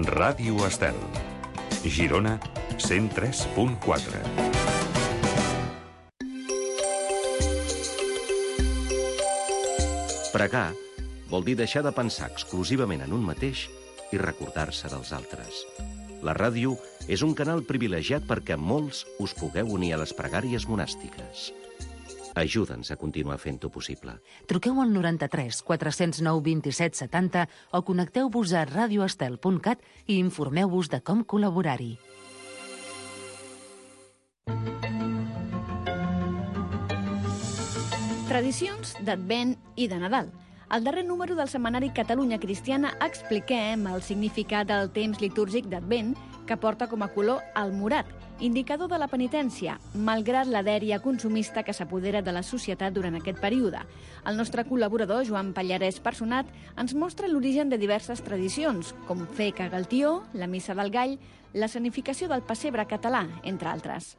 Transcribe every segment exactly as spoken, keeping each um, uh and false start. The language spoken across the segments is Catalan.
Ràdio Estel. Girona, cent tres punt quatre. Pregar vol dir deixar de pensar exclusivament en un mateix i recordar-se dels altres. La ràdio és un canal privilegiat perquè molts us pugueu unir a les pregàries monàstiques. Ajuda'ns a continuar fent-ho possible. Truqueu al noranta-tres quatre zero nou vint-i-set setanta o connecteu-vos a radioestel punt cat i informeu-vos de com col·laborar-hi. Tradicions d'Advent i de Nadal. Al darrer número del setmanari Catalunya Cristiana expliquem el significat del temps litúrgic d'Advent, que porta com a color el morat, indicador de la penitència, malgrat la dèria consumista que s'apodera de la societat durant aquest període. El nostre col·laborador, Joan Pallarès Personat, ens mostra l'origen de diverses tradicions, com fer cagar el tió, la missa del gall, la sanificació del pessebre català, entre altres.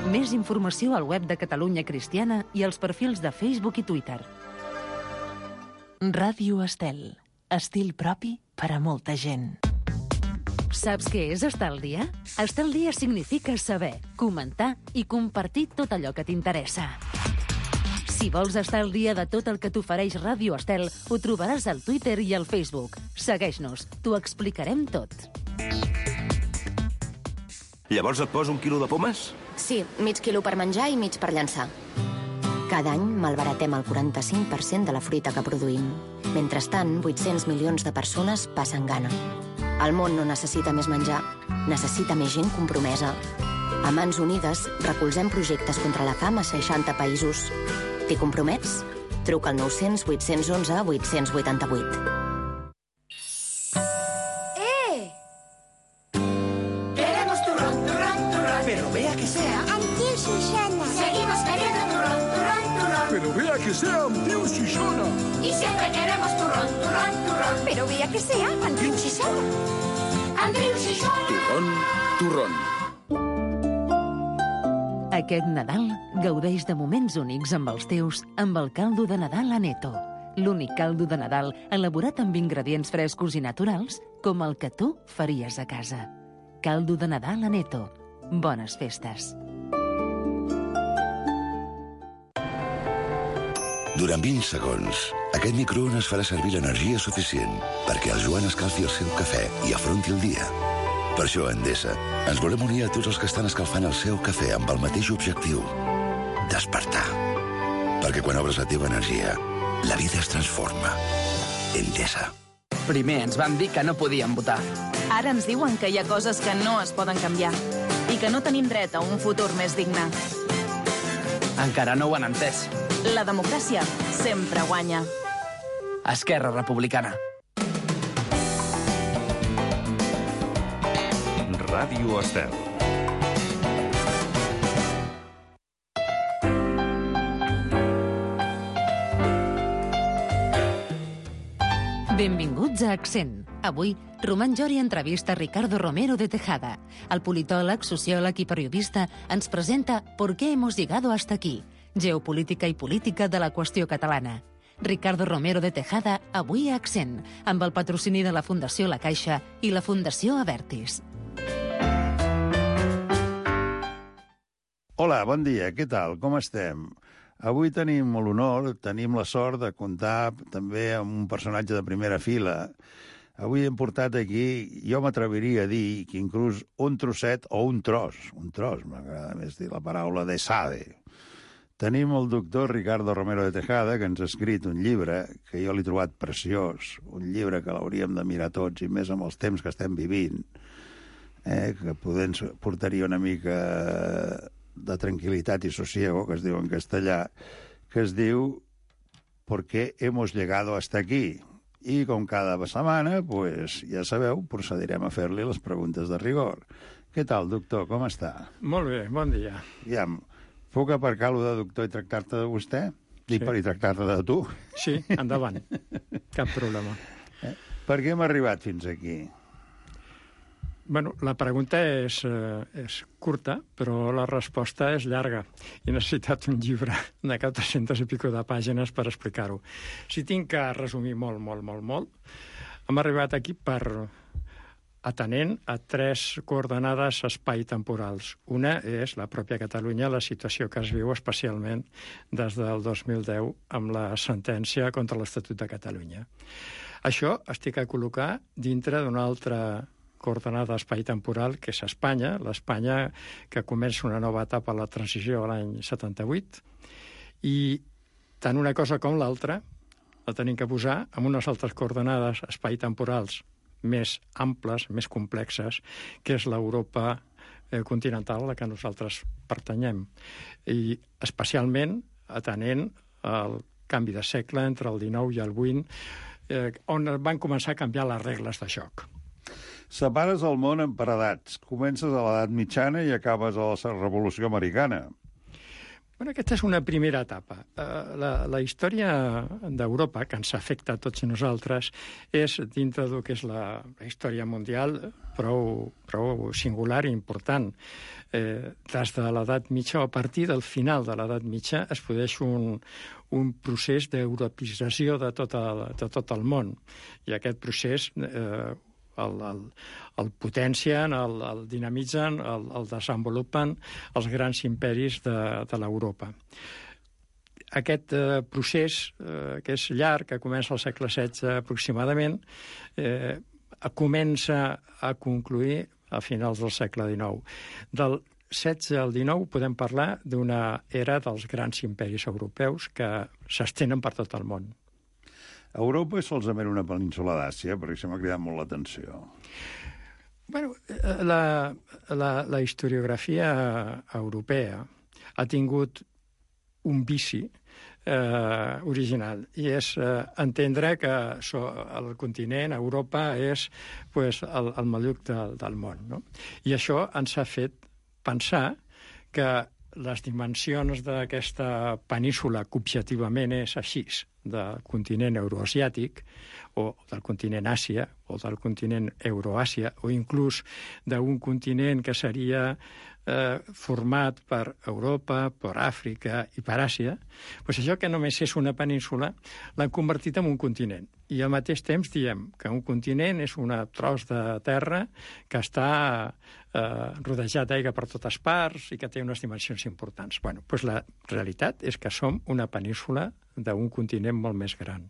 Més informació al web de Catalunya Cristiana i als perfils de Facebook i Twitter. Ràdio Estel. Estil propi per a molta gent. Saps què és estar al dia? Estar al dia significa saber, comentar i compartir tot allò que t'interessa. Si vols estar al dia de tot el que t'ofereix Ràdio Estel, ho trobaràs al Twitter i al Facebook. Segueix-nos, t'ho explicarem tot. Llavors et poso un quilo de pomes? Sí, mig quilo per menjar i mig per llançar. Cada any malbaratem el quaranta-cinc per cent de la fruita que produïm. Mentrestant, vuit-cents milions de persones passen gana. El món no necessita més menjar, necessita més gent compromesa. A Mans Unides recolzem projectes contra la fam a seixanta països. T'hi compromets? Truca al nou-cents vuit-cents onze vuit-cents vuitanta-vuit. ¡Eh! Queremos turrón, turrón, turrón. Pero vea que sea. Antiu Susana. Seguimos queriendo turrón, turrón, turrón. Pero vea que sea Antiu Susana. Y siempre queremos turrón, turrón, turrón. Pero vea que sea Antiu Susana. Antiu Susana. Turrón, turrón. Aquest Nadal gaudeix de moments únics amb els teus amb el caldo de Nadal Aneto. L'únic caldo de Nadal elaborat amb ingredients frescos i naturals com el que tu faries a casa. Caldo de Nadal Aneto. Bones festes. Durant vint segons, aquest microones farà servir l'energia suficient perquè el Joan escalfi el seu cafè i afronti el dia. Per això, a Endesa, ens volem unir a tots els que estan escalfant el seu cafè amb el mateix objectiu: despertar. Perquè quan obres la teva energia, la vida es transforma. Endesa. Primer ens van dir que no podíem votar. Ara ens diuen que hi ha coses que no es poden canviar i que no tenim dret a un futur més digne. Encara no ho han entès. La democràcia sempre guanya. Esquerra Republicana. Ràdio Estel. Benvinguts a Accent. Avui, Román Jori entrevista Ricardo Romero de Tejada. El politòleg, sociòleg i periodista ens presenta ¿Por qué hemos llegado hasta aquí? Geopolítica i política de la qüestió catalana. Ricardo Romero de Tejada, avui a Accent, amb el patrocini de la Fundació La Caixa i la Fundació Avertis. Hola, bon dia, què tal? Com estem? Avui tenim l'honor, tenim la sort de comptar també amb un personatge de primera fila. Avui hem portat aquí, jo m'atreviria a dir que inclús un trosset o un tros, un tros, m'agrada més dir la paraula, de Sade. Tenim el doctor Ricardo Romero de Tejada, que ens ha escrit un llibre que jo l'he trobat preciós, un llibre que l'hauríem de mirar tots, i més amb els temps que estem vivint, eh, que poder ens portaria una mica de tranquil·litat i sosiego, que es diu en castellà, que es diu ¿Por qué hemos llegado hasta aquí? I com cada setmana, pues, ja sabeu, procedirem a fer-li les preguntes de rigor. Què tal, doctor? Com està? Molt bé, bon dia. Ja, puc aparcar-lo de doctor i tractar-te de vostè? I, sí. Per, i tractar-te de tu? Sí, endavant. Cap problema. Eh? Per què hem arribat fins aquí? Bueno, la pregunta és, eh, és curta, però la resposta és llarga. He necessitat un llibre de quatre-centes i pico de pàgines per explicar-ho. Si tinc que resumir molt, molt, molt, molt, hem arribat aquí per atenent a tres coordenades espai-temporals. Una és la pròpia Catalunya, la situació que es viu especialment des del dos mil deu amb la sentència contra l'Estatut de Catalunya. Això estic a col·locar dintre d'una altra coordenada espai-temporal, que és Espanya, l'Espanya que comença una nova etapa a la transició a l'any setanta-vuit, i tant una cosa com l'altra la tenim que posar amb unes altres coordenades espai-temporals més amples, més complexes, que és l'Europa eh, continental a la que nosaltres pertanyem. I especialment atenent al canvi de segle entre el dinou i el vint, eh, on van començar a canviar les regles de joc. Separes el món en per edats. Comences a l'edat mitjana i acabes a la Revolució Americana. Bueno, aquesta és una primera etapa. La, la història d'Europa, que ens afecta a tots nosaltres, és dintre del que és la, la història mundial prou, prou singular i important. Eh, des de l'edat mitja, o a partir del final de l'edat mitja, es produeix un, un procés d'europeïtzació de, tot el, de tot el món. I aquest procés eh, el, el, el potencien, el, el dinamitzen, el, el desenvolupen els grans imperis de, de l'Europa. Aquest eh, procés, eh, que és llarg, que comença al segle setze aproximadament, eh, comença a concluir a finals del segle dinou. Del setze al dinou podem parlar d'una era dels grans imperis europeus que s'estenen per tot el món. Europa és solament una península d'Àsia, perquè això m'ha cridat molt l'atenció. Bueno, la, la, la historiografia europea ha tingut un vici eh, original, i és eh, entendre que so, el continent, Europa, és pues, el, el maluc del, del món. No? I això ens ha fet pensar que les dimensions d'aquesta península, que objectivament és així, del continent euroasiàtic, o del continent Àsia, o del continent Euroàsia, o inclús d'un continent que seria eh, format per Europa, per Àfrica i per Àsia, doncs això que només és una península l'han convertit en un continent. I al mateix temps diem que un continent és un tros de terra que està eh, rodejat d'aigua per totes parts i que té unes dimensions importants. Bueno, doncs la realitat és que som una península d'un continent molt més gran.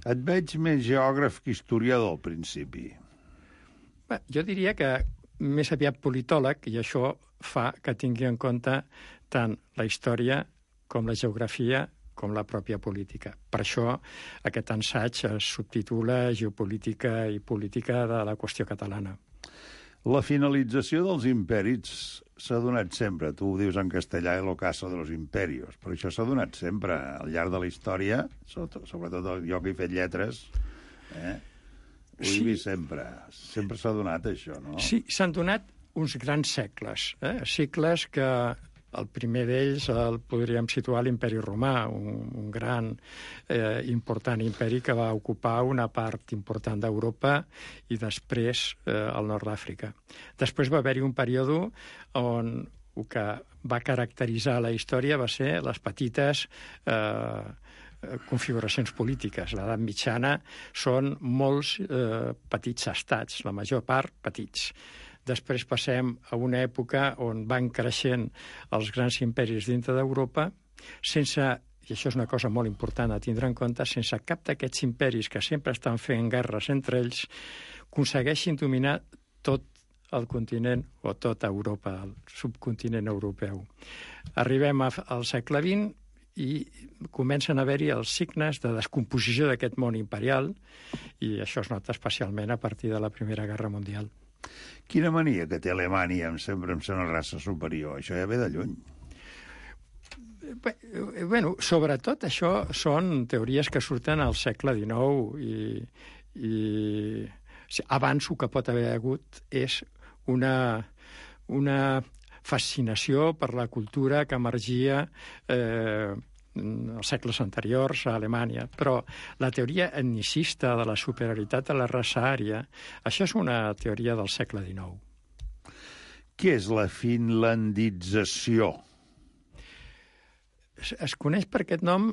Et veig més geògraf que historiador al principi. Bé, jo diria que més aviat politòleg, i això fa que tingui en compte tant la història com la geografia com la pròpia política. Per això aquest assaig es subtitula Geopolítica i política de la qüestió catalana. La finalització dels imperis s'ha donat sempre. Tu ho dius en castellà, el ocaso de los imperios, però això s'ha donat sempre al llarg de la història, sobretot jo que he fet lletres, eh? ho he vist sempre. Sempre s'ha donat això, no? Sí, s'han donat uns grans segles, eh? Segles que el primer d'ells el podríem situar a l'Imperi Romà, un, un gran, eh, important imperi que va ocupar una part important d'Europa i després eh, el nord d'Àfrica. Després va haver-hi un període on el que va caracteritzar la història va ser les petites eh, configuracions polítiques. L'edat mitjana són molts eh, petits estats, la major part petits. Després passem a una època on van creixent els grans imperis dintre d'Europa sense, i això és una cosa molt important a tindre en compte, sense cap d'aquests imperis que sempre estan fent guerres entre ells aconsegueixin dominar tot el continent o tota Europa, el subcontinent europeu. Arribem al segle vint i comencen a haver-hi els signes de descomposició d'aquest món imperial, i això es nota especialment a partir de la Primera Guerra Mundial. Quina mania que té Alemanya sempre amb ser una raça superior? Això ja ve de lluny. Bé, bueno, sobretot això són teories que surten al segle dinou i, i abans el que pot haver hagut és una, una fascinació per la cultura que emergia eh, els segles anteriors a Alemanya, però la teoria etnicista de la superioritat de la raça ària, això és una teoria del segle dinou. Què és la finlandització? Es, es coneix per aquest nom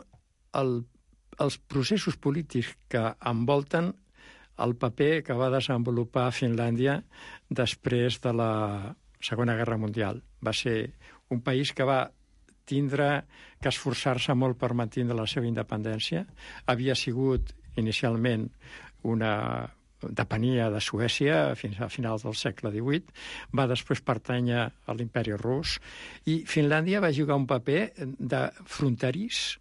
el, els processos polítics que envolten el paper que va desenvolupar Finlàndia després de la Segona Guerra Mundial. Va ser un país que va tindre que esforçar-se molt per mantenir la seva independència. Havia sigut inicialment una depenia de Suècia fins a finals del segle divuit, va després pertànyer a l'imperi rus, i Finlàndia va jugar un paper de fronterís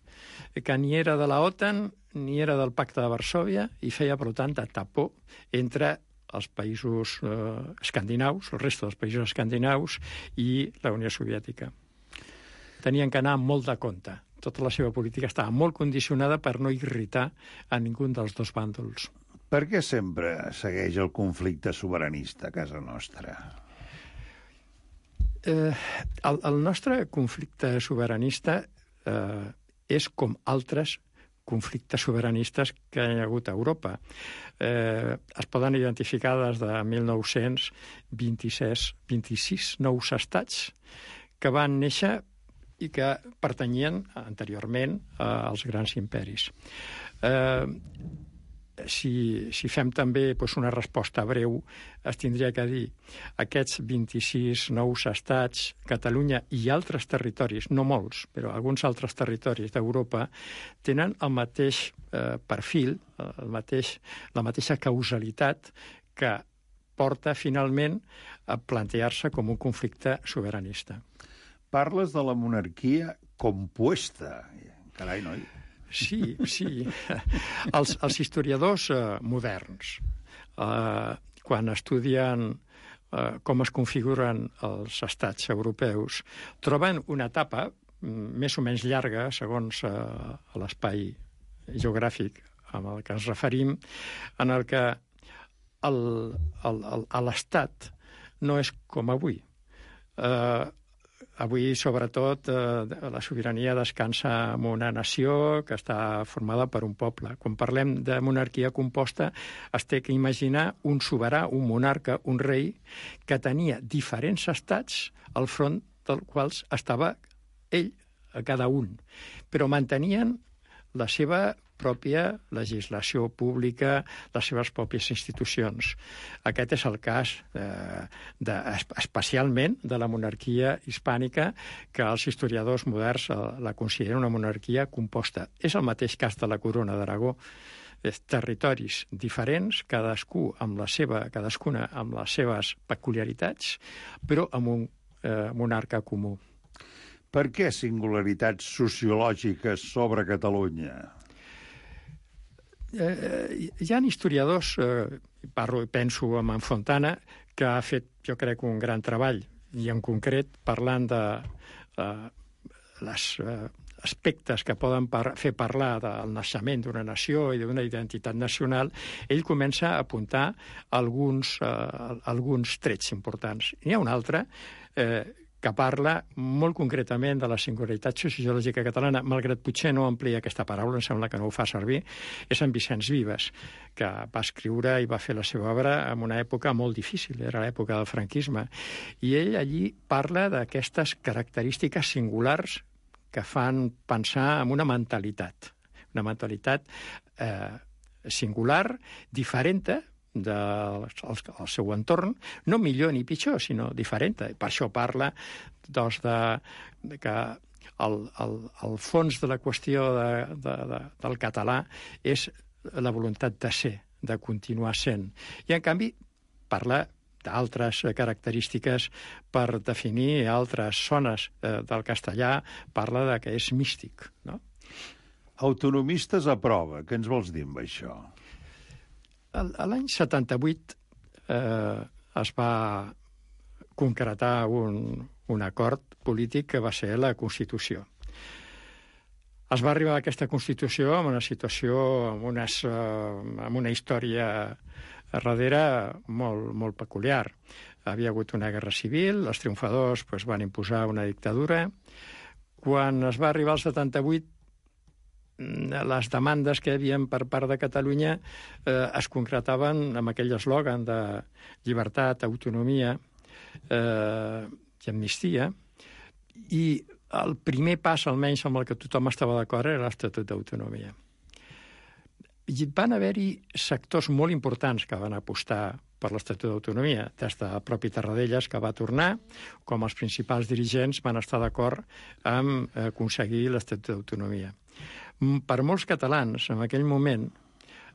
que ni era de la OTAN ni era del Pacte de Varsòvia i feia, per tant, de tapó entre els països eh, escandinaus, el resta dels països escandinaus i la Unió Soviètica. Tenien que anar molt de compte. Tota la seva política estava molt condicionada per no irritar a ningú dels dos bàndols. Per què sempre segueix el conflicte sobiranista a casa nostra? Eh, el, el nostre conflicte sobiranista eh, és com altres conflictes sobiranistes que hi ha hagut a Europa. Eh, es poden identificar des de mil nou-cents vint-i-sis, vint-i-sis nous estats que van néixer i que pertanyien anteriorment als grans imperis. Eh, si, si fem també doncs, una resposta breu, es tindria que dir aquests vint-i-sis nous estats, Catalunya i altres territoris, no molts, però alguns altres territoris d'Europa, tenen el mateix eh, perfil, el mateix, la mateixa causalitat que porta finalment a plantejar-se com un conflicte sobiranista. Parles de la monarquia compuesta. Carai, noi. Sí, sí. Els, els historiadors eh, moderns, eh, quan estudien eh, com es configuren els estats europeus, troben una etapa més o menys llarga, segons eh, l'espai geogràfic amb el que ens referim, en el que l'estat no és com avui. Eh, Avui, sobretot, eh, la sobirania descansa en una nació que està formada per un poble. Quan parlem de monarquia composta, es té que imaginar un soberà, un monarca, un rei, que tenia diferents estats al front dels quals estava ell, a cada un. Però mantenien la seva pròpia legislació pública, les seves pròpies institucions. Aquest és el cas eh, de, especialment de la monarquia hispànica, que els historiadors moderns la consideren una monarquia composta. És el mateix cas de la Corona d'Aragó. Territoris diferents, cadascú amb la seva, cadascuna amb les seves peculiaritats, però amb un eh, monarca comú. Per què singularitats sociològiques sobre Catalunya? Eh, hi ha historiadors, eh, parlo, penso en en Fontana, que ha fet, jo crec, un gran treball, i en concret parlant de eh, les eh, aspectes que poden par fer parlar del naixement d'una nació i d'una identitat nacional, ell comença a apuntar alguns, eh, alguns trets importants. N'hi ha un altre eh, que parla molt concretament de la singularitat sociològica catalana, malgrat potser no amplia aquesta paraula, em sembla que no ho fa servir, és en Vicenç Vives, que va escriure i va fer la seva obra en una època molt difícil, era l'època del franquisme, i ell allí parla d'aquestes característiques singulars que fan pensar en una mentalitat, una mentalitat eh, singular, diferent del seu entorn, no millor ni pitjor, sinó diferent. Per això parla doncs, de, de que el, el, el fons de la qüestió de, de, de, del català és la voluntat de ser, de continuar sent. I, en canvi, parla d'altres característiques per definir altres zones eh, del castellà, parla de que és místic, no? Autonomistes a prova, què ens vols dir amb això? L'any setanta-vuit eh, es va concretar un, un acord polític que va ser la Constitució. Es va arribar a aquesta Constitució amb una situació, amb, unes, eh, amb una història darrere molt, molt peculiar. Havia hagut una guerra civil, els triomfadors pues, van imposar una dictadura. Quan es va arribar al setanta-vuit, les demandes que hi havia per part de Catalunya eh, es concretaven amb aquell eslògan de llibertat, autonomia eh, i amnistia, i el primer pas, almenys amb el que tothom estava d'acord, era l'Estatut d'Autonomia. I van haver-hi sectors molt importants que van apostar per l'Estatut d'Autonomia, des del propi Tarradellas, que va tornar, com els principals dirigents van estar d'acord amb aconseguir l'Estatut d'Autonomia. Per molts catalans, en aquell moment,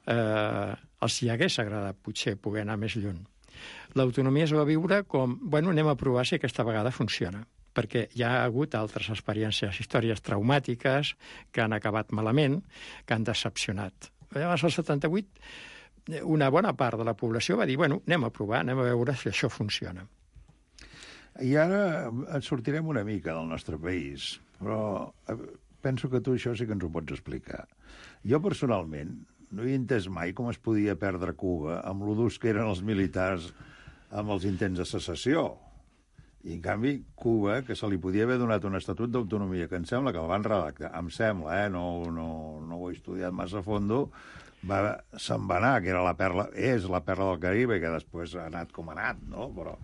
eh, els hi hagués agradat potser poder anar més lluny. L'autonomia es va viure com, bueno, anem a provar si aquesta vegada funciona, perquè hi ha hagut altres experiències, històries traumàtiques que han acabat malament, que han decepcionat. Llavors, al setanta vuit, una bona part de la població va dir, bueno, anem a provar, anem a veure si això funciona. I ara ens sortirem una mica del nostre país, però penso que tu això sí que ens ho pots explicar. Jo, personalment, no he entès mai com es podia perdre Cuba amb lo durs que eren els militars amb els intents de secessió. I, en canvi, Cuba, que se li podia haver donat un estatut d'autonomia, que em sembla que el van redactar, em sembla, eh? no, no, no ho he estudiat massa a fondo, va, se'n va anar, que era la perla, és la perla del Caribe, que després ha anat com ha anat, no? Però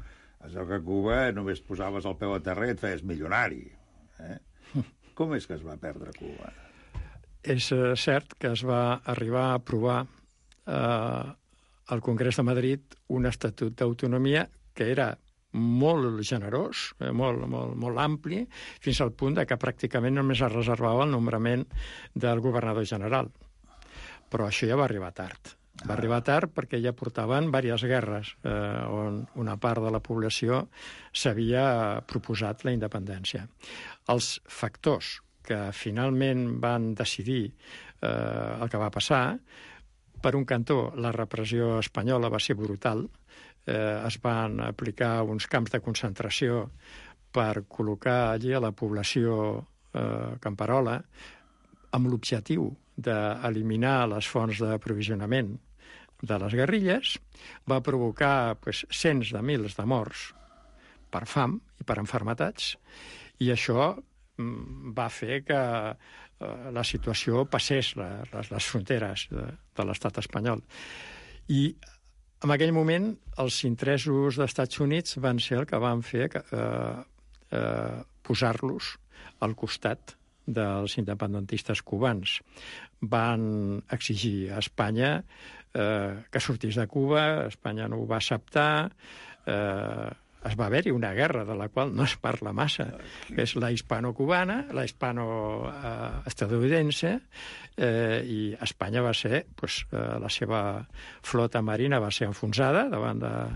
això que a Cuba només posaves el peu a terra i et feies milionari. Eh? Com és que es va perdre Cuba? És cert que es va arribar a aprovar eh, al Congrés de Madrid un estatut d'autonomia que era molt generós, eh, molt, molt, molt ampli, fins al punt de que pràcticament només es reservava el nombrament del governador general. Però això ja va arribar tard. Va arribar tard perquè ja portaven diverses guerres eh, on una part de la població s'havia proposat la independència. Els factors que finalment van decidir eh, el que va passar, per un cantó, la repressió espanyola va ser brutal, eh, es van aplicar uns camps de concentració per col·locar allí a la població eh, camperola amb l'objectiu d'eliminar les fonts d'aprovisionament de les guerrilles, va provocar pues, cents de mils de morts per fam i per enfermetats, i això mm, va fer que eh, la situació passés la, les, les fronteres de, de l'estat espanyol. I en aquell moment els interessos dels Estats Units van ser el que van fer que, eh, eh, posar-los al costat dels independentistes cubans. Van exigir a Espanya eh, que sortís de Cuba, Espanya no ho va acceptar, eh, es va haver-hi una guerra de la qual no es parla massa, que és la hispano-cubana, la hispano-estadounidense, eh, i Espanya va ser, pues, eh, la seva flota marina va ser enfonsada davant de,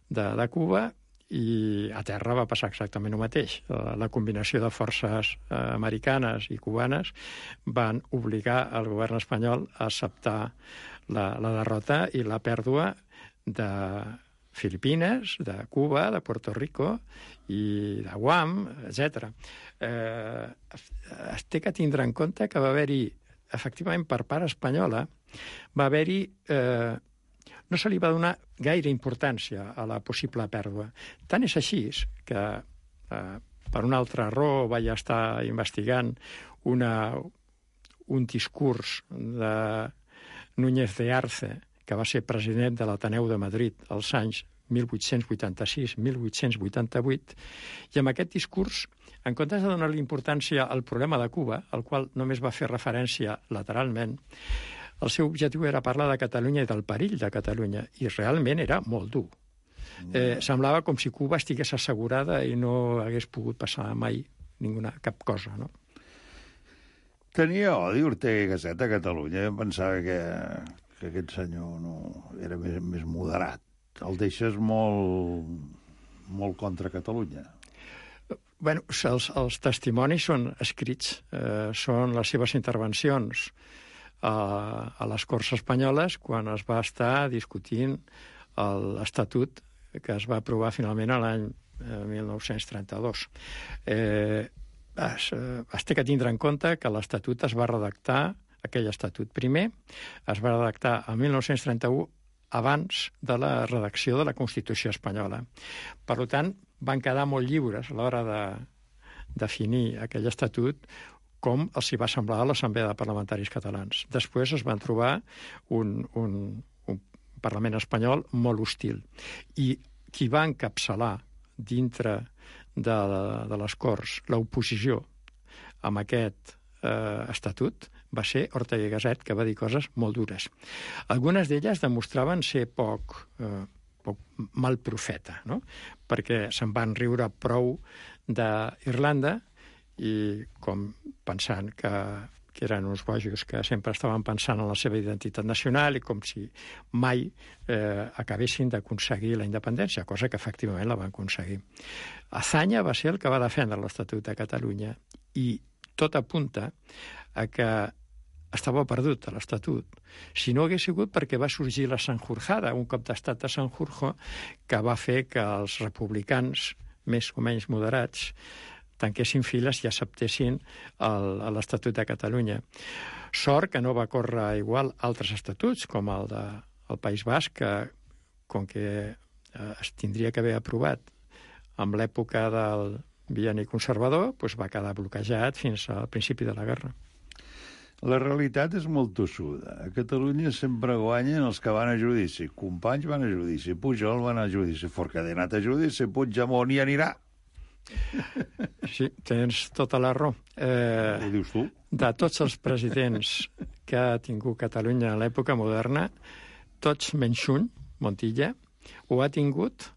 de, de Cuba, i a terra va passar exactament el mateix. La combinació de forces americanes i cubanes van obligar el govern espanyol a acceptar la, la derrota i la pèrdua de Filipines, de Cuba, de Puerto Rico i de Guam, etcètera. Eh, es té que tindre en compte que va haver-hi, efectivament, per part espanyola, va haver-hi... Eh, no se li va donar gaire importància a la possible pèrdua. Tant és així que, eh, per una altra raó, vaig estar investigant una, un discurs de Núñez de Arce, que va ser president de l'Ateneu de Madrid als anys mil vuit-cents vuitanta-sis mil vuit-cents vuitanta-vuit, i amb aquest discurs, en comptes de donar-li importància al problema de Cuba, al qual només va fer referència lateralment, el seu objectiu era parlar de Catalunya i del perill de Catalunya, i realment era molt dur. Eh, semblava com si Cuba estigués assegurada i no hagués pogut passar mai ninguna, cap cosa, no? Tenia odi Ortega i Gasset a Catalunya. Em pensava que, que aquest senyor no era més, més moderat. El deixes molt, molt contra Catalunya. Bueno, els, els testimonis són escrits, eh, són les seves intervencions a, a les Corts Espanyoles quan es va estar discutint l'Estatut que es va aprovar finalment l'any mil nou-cents trenta-dos. Eh, es, es té que tindre en compte que l'Estatut es va redactar, aquell Estatut primer, es va redactar el mil nou-cents trenta-u abans de la redacció de la Constitució espanyola. Per tant, van quedar molt lliures a l'hora de definir aquell estatut com els hi va semblar a l'Assemblea de Parlamentaris Catalans. Després es van trobar un, un, un Parlament espanyol molt hostil. I qui va encapçalar dintre de, de les Corts l'oposició amb aquest eh, estatut va ser Ortega y Gasset, que va dir coses molt dures. Algunes d'elles demostraven ser poc, eh, poc mal profeta, no? Perquè se'n van riure prou d'Irlanda i com pensant que, que eren uns bojos que sempre estaven pensant en la seva identitat nacional i com si mai eh, acabessin d'aconseguir la independència, cosa que efectivament la van aconseguir. Azaña va ser el que va defendre l'Estatut de Catalunya i tot apunta a que estava perdut a l'Estatut. Si no hagués sigut perquè va sorgir la Sanjurjada, un cop d'estat de Sanjurjo, que va fer que els republicans més o menys moderats tanquessin files i acceptessin l'Estatut de Catalunya. Sort que no va córrer igual altres estatuts, com el del País Basc, que, com que es tindria que haver aprovat amb l'època del bienni conservador, doncs va quedar bloquejat fins al principi de la guerra. La realitat és molt tossuda. A Catalunya sempre guanyen els que van a judici. Companys van a judici, Pujol van a judici, Forcadell ha anat a judici, Puigdemont hi anirà. Sí, tens tota la raó. Eh, Ho dius tu? De tots els presidents que ha tingut Catalunya a l'època moderna, tots menys un, Montilla, o ha tingut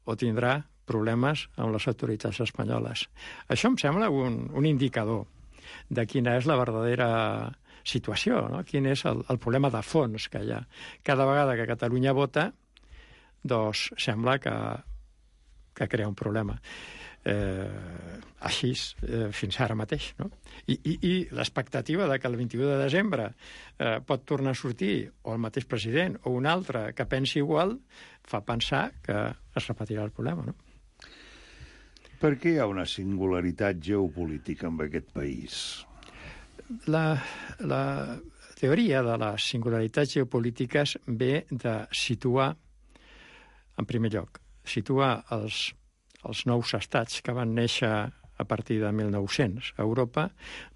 o tindrà problemes amb les autoritats espanyoles. Això em sembla un, un indicador de quina és la verdadera situació, no? Quin és el, el problema de fons que hi ha. Cada vegada que Catalunya vota, doncs sembla que, que crea un problema. Eh, així, eh, fins ara mateix, no? I, i, i l'expectativa de que el vint-i-u de desembre eh, pot tornar a sortir o el mateix president o un altre que pensi igual, fa pensar que es repetirà el problema, no? Per què hi ha una singularitat geopolítica en aquest país? La, la teoria de les singularitats geopolítiques ve de situar, en primer lloc, situar els, els nous estats que van néixer a partir de mil nou-cents a Europa,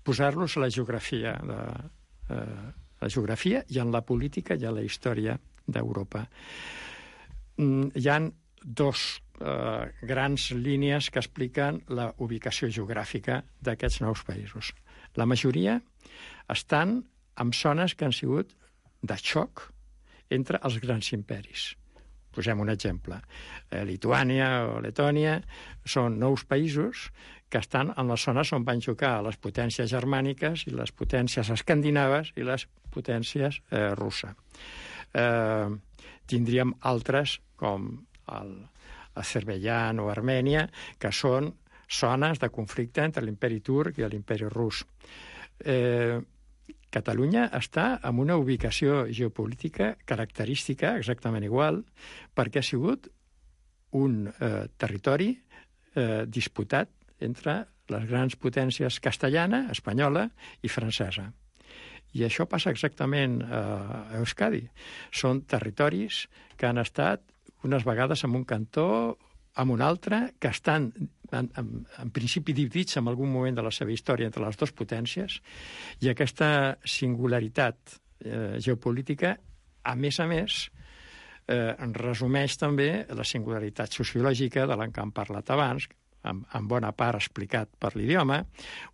posar-los a la geografia, de, eh, la geografia i en la política i en la història d'Europa. Mm, hi ha dos eh, grans línies que expliquen la ubicació geogràfica d'aquests nous països. La majoria estan en zones que han sigut de xoc entre els grans imperis. Posem un exemple. Eh, Lituània o Letònia són nous països que estan en les zones on van xocar les potències germàniques i les potències escandinaves i les potències eh, russes. Eh, tindríem altres com el Azerbaidjan o Armènia, que són zones de conflicte entre l'imperi turc i l'imperi rus. Eh, Catalunya està en una ubicació geopolítica característica exactament igual, perquè ha sigut un eh, territori eh, disputat entre les grans potències castellana, espanyola i francesa. I això passa exactament a Euskadi. Són territoris que han estat unes vegades en un cantó, en un altre, que estan en, en, en principi dividits en algun moment de la seva història entre les dues potències, i aquesta singularitat eh, geopolítica, a més a més, eh, resumeix també la singularitat sociològica de la que hem parlat abans, en, en bona part explicat per l'idioma,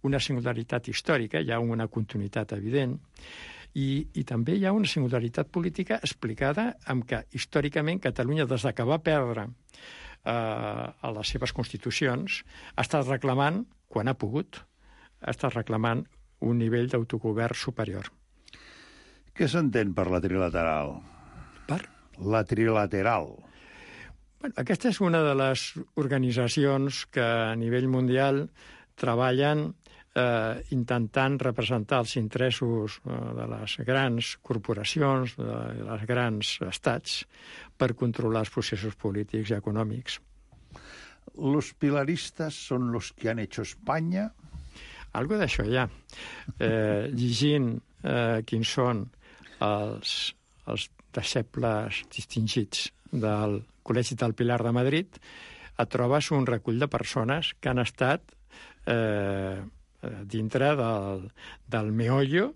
una singularitat històrica, hi ha una continuïtat evident, I, i també hi ha una singularitat política explicada en què històricament Catalunya, des que va perdre eh, a les seves constitucions, ha estat reclamant, quan ha pogut, ha estat reclamant un nivell d'autogovern superior. Què s'entén per la trilateral? Per? La trilateral. Bueno, aquesta és una de les organitzacions que a nivell mundial treballen Eh, intentant representar els interessos eh, de les grans corporacions, de les grans estats, per controlar els processos polítics i econòmics. ¿Los pilaristas son los que han hecho España? Algo d'això hi ha. Eh, llegint eh, quins són els, els deixebles distingits del Col·legi del Pilar de Madrid, et trobes un recull de persones que han estat eh, dintre del, del meollo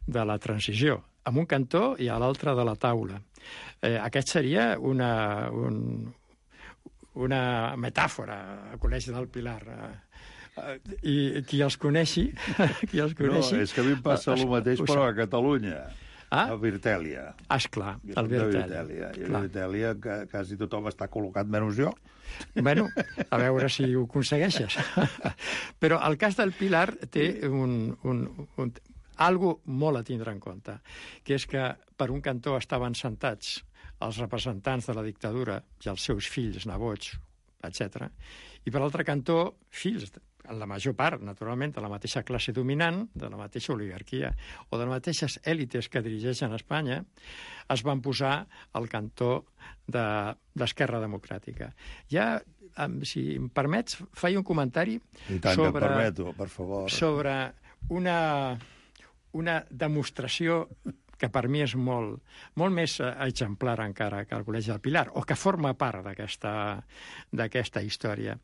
de la transició, en un cantó i a l'altre de la taula. Eh, aquest seria una, un, una metàfora, el Col·legi del Pilar. I qui els coneixi... Qui els coneixi no, és que a mi em passa el mateix, però a Catalunya. Ah? A Virtèlia. Ah, esclar, el Virtèlia. I a Virtèlia quasi tothom està col·locat, menys jo. Bueno, a veure si ho aconsegueixes. Però el cas del Pilar té un, un, un, algo molt a tindre en compte, que és que per un cantó estaven sentats els representants de la dictadura i els seus fills, nebots, etcètera. I per l'altre cantó, fills, en la major part, naturalment, de la mateixa classe dominant, de la mateixa oligarquia, o de les mateixes èlites que dirigeixen Espanya, es van posar al cantó de l'Esquerra Democràtica. Ja, si em permets, faig un comentari I tant sobre, que et permeto, per favor. sobre una, una demostració que per mi és molt, molt més exemplar encara que el Col·legi del Pilar, o que forma part d'aquesta història.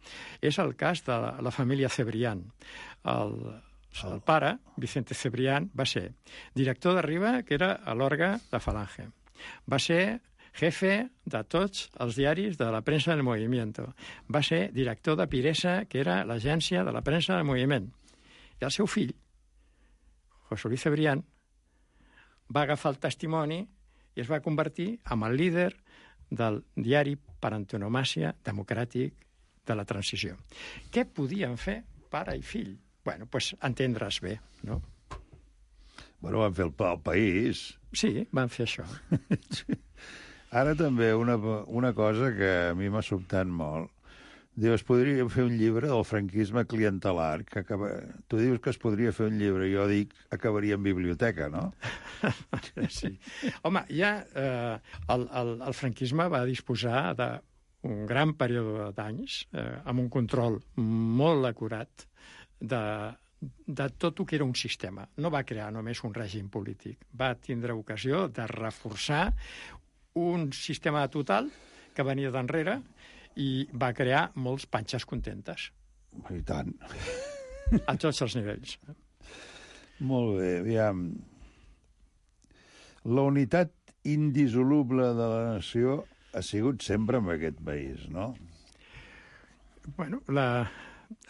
És el cas de la, la família Cebrián. El, el pare, Vicente Cebrián, va ser director de Riba, que era a l'orga de Falange. Va ser jefe de tots els diaris de la premsa del movimiento. Va ser director de Piresa, que era l'agència de la premsa del moviment. I el seu fill, José Luis Cebrián, va agafar el testimoni i es va convertir en el líder del diari per antonomàsia democràtic de la transició. Què podien fer pare i fill? Bueno, doncs entendre's bé, no? Bueno, van fer el, el país. Sí, van fer això. Ara també una, una cosa que a mi m'ha sobtat molt. Diu, es podria fer un llibre del franquisme clientelar, que acaba... Tu dius que es podria fer un llibre, jo dic acabaria en biblioteca, no? Sí. Home, ja eh, el, el, el franquisme va disposar d'un gran període d'anys, eh, amb un control molt acurat de, de tot el que era un sistema. No va crear només un règim polític, va tindre ocasió de reforçar un sistema total que venia d'enrere i va crear molts panxes contentes. I tant. A tots els nivells. Molt bé, aviam. La unitat indissoluble de la nació ha sigut sempre en aquest país, no? Bueno, la,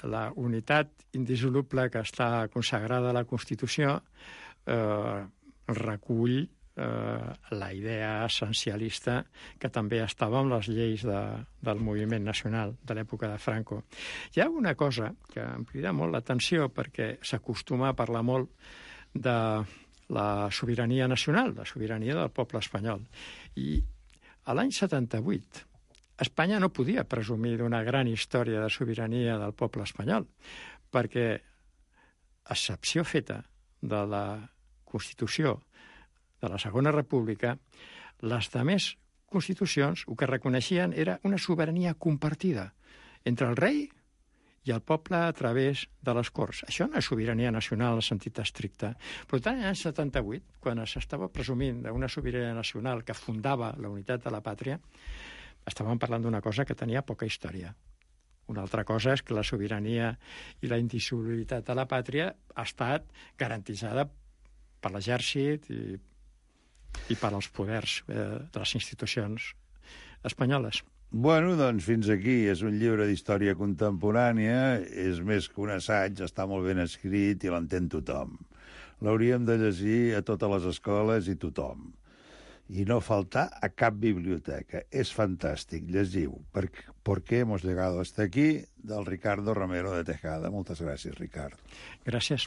la unitat indissoluble que està consagrada a la Constitució eh, recull eh, la idea essencialista que també estava en les lleis de, del moviment nacional de l'època de Franco. Hi ha una cosa que em crida molt l'atenció perquè s'acostuma a parlar molt de la sobirania nacional, la sobirania del poble espanyol. I a l'any setanta-vuit Espanya no podia presumir d'una gran història de sobirania del poble espanyol, perquè, a excepció feta de la Constitució de la Segona República, les demés constitucions el que reconeixien era una sobirania compartida entre el rei i el poble a través de les Corts. Això no és sobirania nacional en el sentit estricte. Per tant, l'any setanta-vuit, quan s'estava presumint d'una sobirania nacional que fundava la unitat de la pàtria, estàvem parlant d'una cosa que tenia poca història. Una altra cosa és que la sobirania i la indissolubilitat de la pàtria ha estat garantitzada per l'exèrcit i, i per als poders eh, de les institucions espanyoles. Bueno, doncs fins aquí. És un llibre d'història contemporània, és més que un assaig, està molt ben escrit i l'entén tothom. L'hauríem de llegir a totes les escoles i tothom. I no faltar a cap biblioteca. És fantàstic. Llegiu per, per què hemos llegado hasta aquí, del Ricardo Romero de Tejada. Moltes gràcies, Ricard. Gràcies.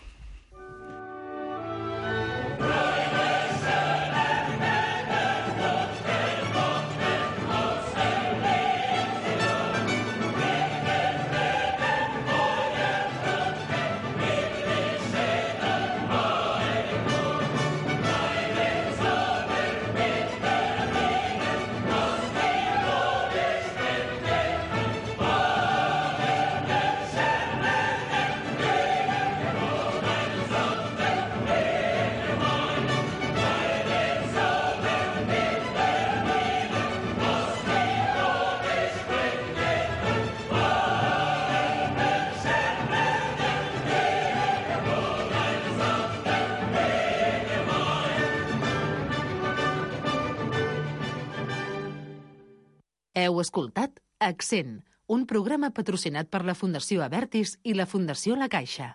Heu escoltat Accent, un programa patrocinat per la Fundació Abertis i la Fundació La Caixa.